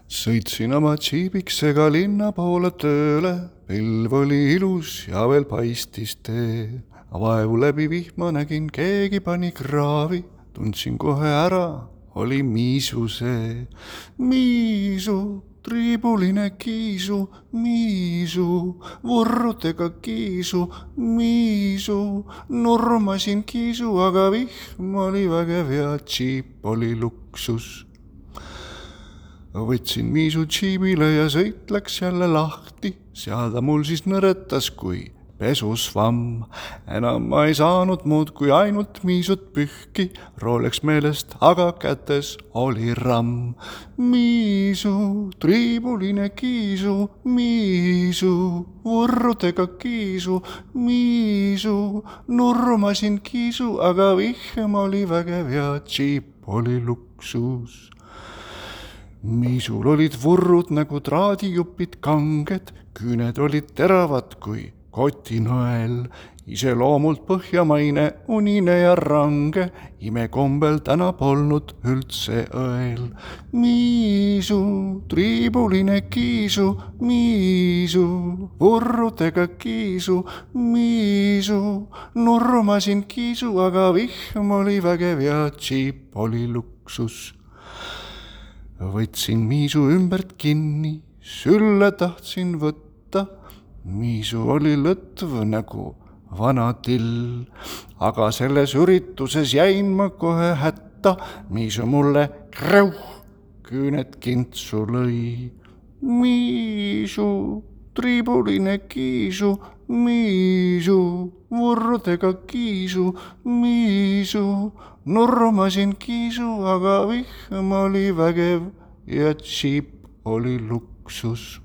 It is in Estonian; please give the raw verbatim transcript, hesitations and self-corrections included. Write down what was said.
Sõitsin oma džiibiksega linna poole tööle, pilv oli ilus ja veel paistis tee. Vaevu läbi vihma nägin, keegi pani kraavi, tundsin kohe ära, oli Miisu see. Miisu, triibuline kiisu, Miisu, vurrutega kiisu, Miisu, nurmasin kiisu, aga vihm oli vägev ja džiip oli luksus. Võtsin Miisu džiibile ja sõit läks jälle lahti, seal ta mul siis nõretas kui pesusvamm. Enam ma ei saanud muud kui ainult Miisut pühki, rooleks meelest, aga kätes oli ramm. Miisu, triibuline kiisu, Miisu, vurrutega kiisu, Miisu, nurmasin kiisu, aga vihm oli vägev ja džiip oli luksus. Miisul olid vurrud nagu traadijupid kanged, küüned olid teravad kui kotinõel, iseloomult põhjamaine, unine ja range, imekombel täna polnud üldse õel. Miisu, triibuline kiisu, Miisu, vurrutega kiisu, Miisu, nurmasin kiisu, aga vihm oli vägev ja džiip oli luksus. Võtsin Miisu ümbert kinni, sülle tahtsin võtta, Miisu oli lõtv nagu vana till, aga selles ürituses jäin ma kohe hätta, Miisu mulle kreuh, küüned kintsu lõi. Miisu, triibuline kiisu, Miisu, vurrudega kiisu, Miisu, nurmasin kiisu, aga vihm oli vägev ja džiip oli luksus.